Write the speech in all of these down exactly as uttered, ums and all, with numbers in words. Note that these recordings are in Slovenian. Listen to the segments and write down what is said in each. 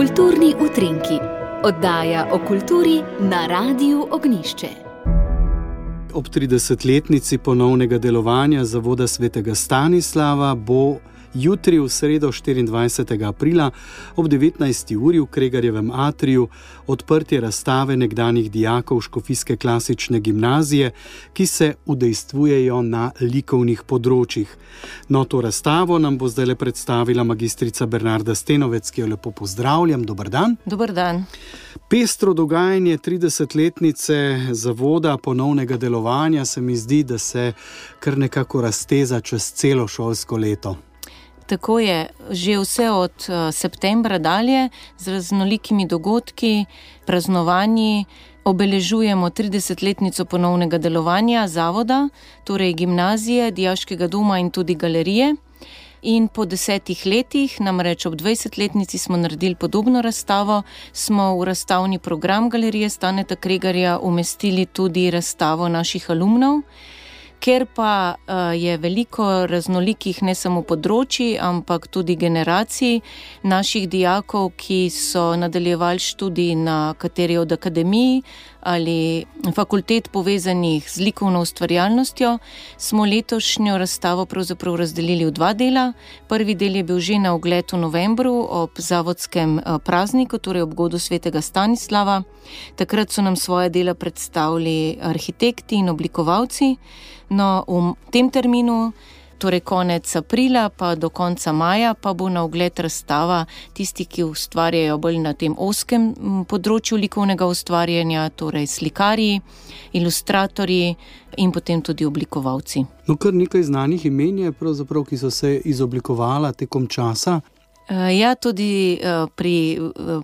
Kulturni utrinki, oddaja o kulturi na Radiu Ognjišče. Ob tridesetletnici ponovnega delovanja Zavoda svetega Stanislava bo jutri v sredo štiriindvajsetega aprila ob devetnajsti uri v Kregarjevem atriju odprtje razstave nekdanjih dijakov Škofijske klasične gimnazije, ki se udejstvujejo na likovnih področjih. No, to razstavo nam bo zdajle predstavila magistrica Bernarda Stenovec, ki jo lepo pozdravljam. Dober dan. Dober dan. Pestro dogajanje tridesetletnice Zavoda ponovnega delovanja se mi zdi, da se kar nekako razteza čez celo šolsko leto. Tako je, že vse od uh, septembra dalje z raznolikimi dogodki, praznovanji obeležujemo tridesetletnico ponovnega delovanja zavoda, torej gimnazije, dijaškega doma in tudi galerije. In po desetih letih, namreč ob dvajsetletnici smo naredili podobno razstavo, smo v razstavni program Galerije Staneta Kregarja umestili tudi razstavo naših alumnov. Ker pa uh, je veliko raznolikih ne samo področji, ampak tudi generacij naših dijakov, ki so nadaljevali študij na kateri od akademij ali fakultet povezanih z likovno ustvarjalnostjo, smo letošnjo razstavo pravzaprav razdelili v dva dela. Prvi del je bil že na ogled v novembru ob zavodskem prazniku, torej ob godu svetega Stanislava. Takrat so nam svoje dela predstavili arhitekti in oblikovalci. No, v tem terminu, torej konec aprila pa do konca maja, pa bo na ogled razstava tisti, ki ustvarjajo bolj na tem ozkem področju likovnega ustvarjanja, torej slikarji, ilustratorji in potem tudi oblikovalci. No, kar nekaj znanih imen je pravzaprav, ki so se izoblikovala tekom časa. Ja, tudi pri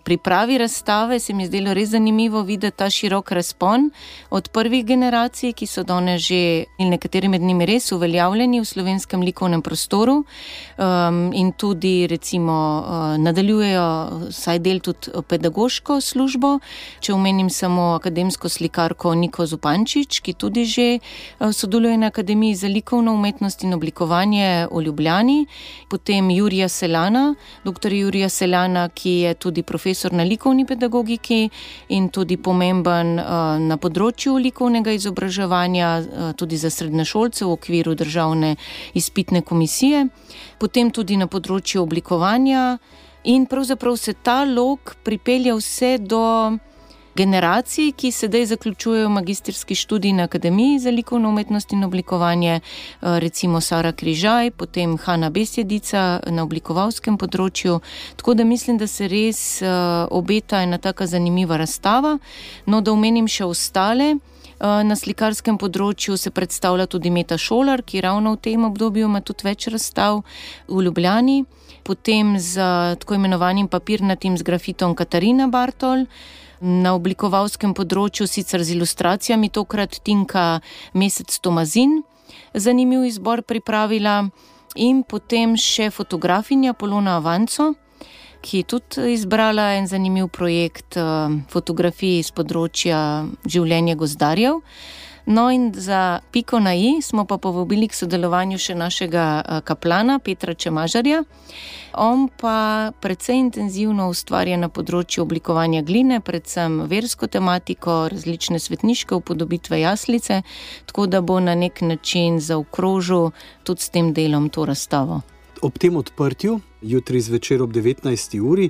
pripravi razstave se mi je zdelo res zanimivo videti ta širok razpon od prvih generacij, ki so danes že nekateri med njimi res uveljavljeni v slovenskem likovnem prostoru um, in tudi recimo nadaljujejo vsaj del tudi pedagoško službo. Če omenim samo akademsko slikarko Niko Zupančič, ki tudi že sodeluje na Akademiji za likovno umetnost in oblikovanje v Ljubljani, potem Jurija Selana, doktor Jurija Selana, ki je tudi profesor na likovni pedagogiki in tudi pomemben uh, na področju likovnega izobraževanja, uh, tudi za srednješolce v okviru državne izpitne komisije, potem tudi na področju oblikovanja in pravzaprav se ta lok pripelja vse do generacij, ki sedaj zaključujejo magistrski študij na Akademiji za likovno umetnost in oblikovanje, recimo Sara Križaj, potem Hanna Besjedica na oblikovalskem področju. Tako da mislim, da se res obeta ena taka zanimiva razstava. No, da omenim še ostale. Na slikarskem področju se predstavlja tudi Meta Šolar, ki ravno v tem obdobju ima tudi več razstav v Ljubljani. Potem z tako imenovanim papirnatim z grafitom Katarina Bartol. Na oblikovalskem področju sicer z ilustracijami tokrat Tinka Mesec Tomazin zanimiv izbor pripravila in potem še fotografinja Polona Avanco, ki je tudi izbrala en zanimiv projekt fotografij z področja življenja gozdarjev. No in za piko na i smo pa povabili k sodelovanju še našega kaplana Petra Čemažarja. On pa precej intenzivno ustvarja na področju oblikovanja gline, predvsem versko tematiko, različne svetniške upodobitve jaslice, tako da bo na nek način zaokrožil tudi s tem delom to razstavo. Ob tem odprtju, jutri zvečer ob devetnajsti uri,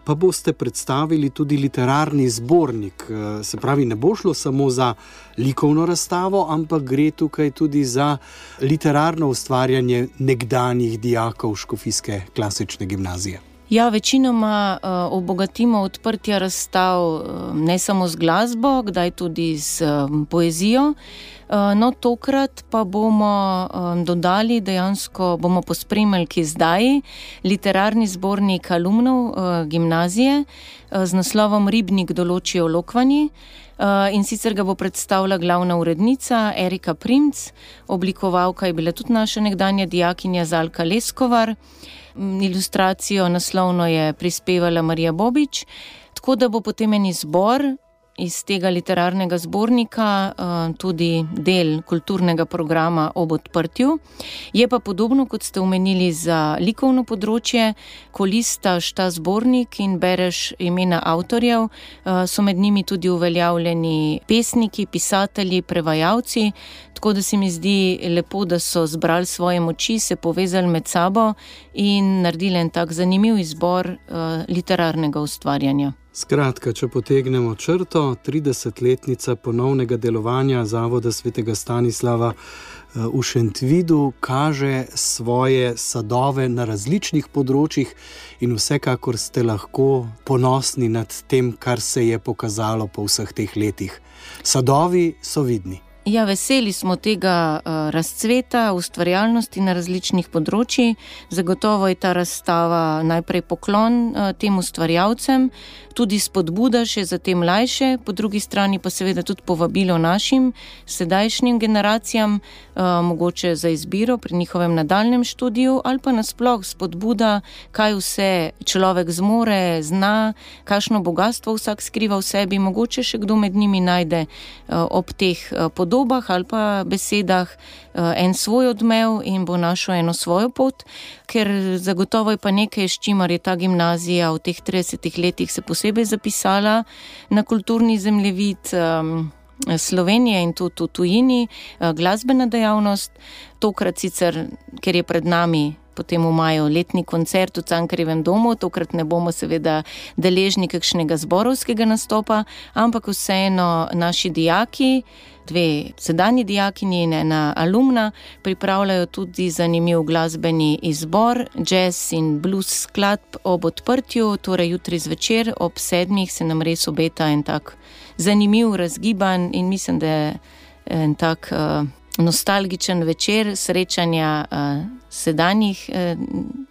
pa boste predstavili tudi literarni zbornik. Se pravi, ne bo šlo samo za likovno razstavo, ampak gre tukaj tudi za literarno ustvarjanje nekdanjih dijakov Škofijske klasične gimnazije. Ja, večinoma uh, obogatimo odprtja razstav uh, ne samo z glasbo, kdaj tudi z um, poezijo. Uh, no, tokrat pa bomo um, dodali, dejansko bomo pospremili k izdaji literarni zbornik alumnov uh, gimnazije uh, z naslovom Ribnik določijo lokvanji. Uh, in sicer ga bo predstavila glavna urednica Erika Primc, oblikovalka je bila tudi naša nekdanja dijakinja Zalka Leskovar, ilustracijo naslovno je prispevala Marija Bobič, tako da bo potem en izbor iz tega literarnega zbornika tudi del kulturnega programa ob odprtju. Je pa podobno, kot ste omenili, za likovno področje, ko listaš ta zbornik in bereš imena avtorjev, so med njimi tudi uveljavljeni pesniki, pisatelji, prevajalci, tako da se mi zdi lepo, da so zbrali svoje moči, se povezali med sabo in naredili en tak zanimiv izbor literarnega ustvarjanja. Skratka, če potegnemo črto, tridesetletnica ponovnega delovanja Zavoda svetega Stanislava v Šentvidu kaže svoje sadove na različnih področjih in vsekakor ste lahko ponosni nad tem, kar se je pokazalo po vseh teh letih. Sadovi so vidni. Ja, veseli smo tega uh, razcveta, ustvarjalnosti na različnih področjih. Zagotovo je ta razstava najprej poklon uh, tem ustvarjalcem, tudi spodbuda še za te mlajše, po drugi strani pa seveda tudi povabilo našim sedajšnjim generacijam, uh, mogoče za izbiro pri njihovem nadaljnjem študiju ali pa nasploh spodbuda, kaj vse človek zmore, zna, kakšno bogastvo vsak skriva v sebi, mogoče še kdo med njimi najde uh, ob teh uh, podobah ali pa besedah en svoj odmev in bo našel eno svojo pot, ker zagotovo je pa nekaj, s čimer je ta gimnazija v teh tridesetih letih se posebej zapisala na kulturni zemljevid um, Slovenije in tudi v tujini, glasbena dejavnost. Tokrat sicer, ker je pred nami potem v maju letni koncert v Cankarjevem domu, tokrat ne bomo seveda deležni kakšnega zborovskega nastopa, ampak vseeno naši dijaki, dve sedanji dijakinji in ena alumna, pripravljajo tudi zanimiv glasbeni izbor, jazz in blues skladb ob odprtju, torej jutri zvečer ob sedmih se nam res obeta en tak zanimiv, razgiban in mislim, da je en tak uh, nostalgičen večer srečanja uh, sedanjih uh,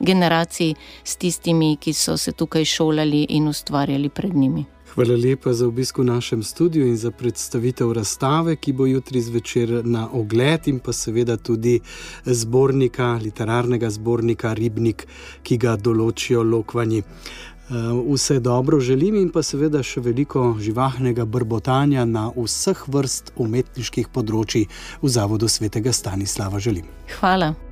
generacij s tistimi, ki so se tukaj šolali in ustvarjali pred njimi. Hvala lepa za obisk v našem studiu in za predstavitev razstave, ki bo jutri zvečer na ogled, in pa seveda tudi zbornika, literarnega zbornika Ribnik, ki ga določijo Lokvanji. Vse dobro želim in pa seveda še veliko živahnega brbotanja na vseh vrst umetniških področij v Zavodu svetega Stanislava želim. Hvala.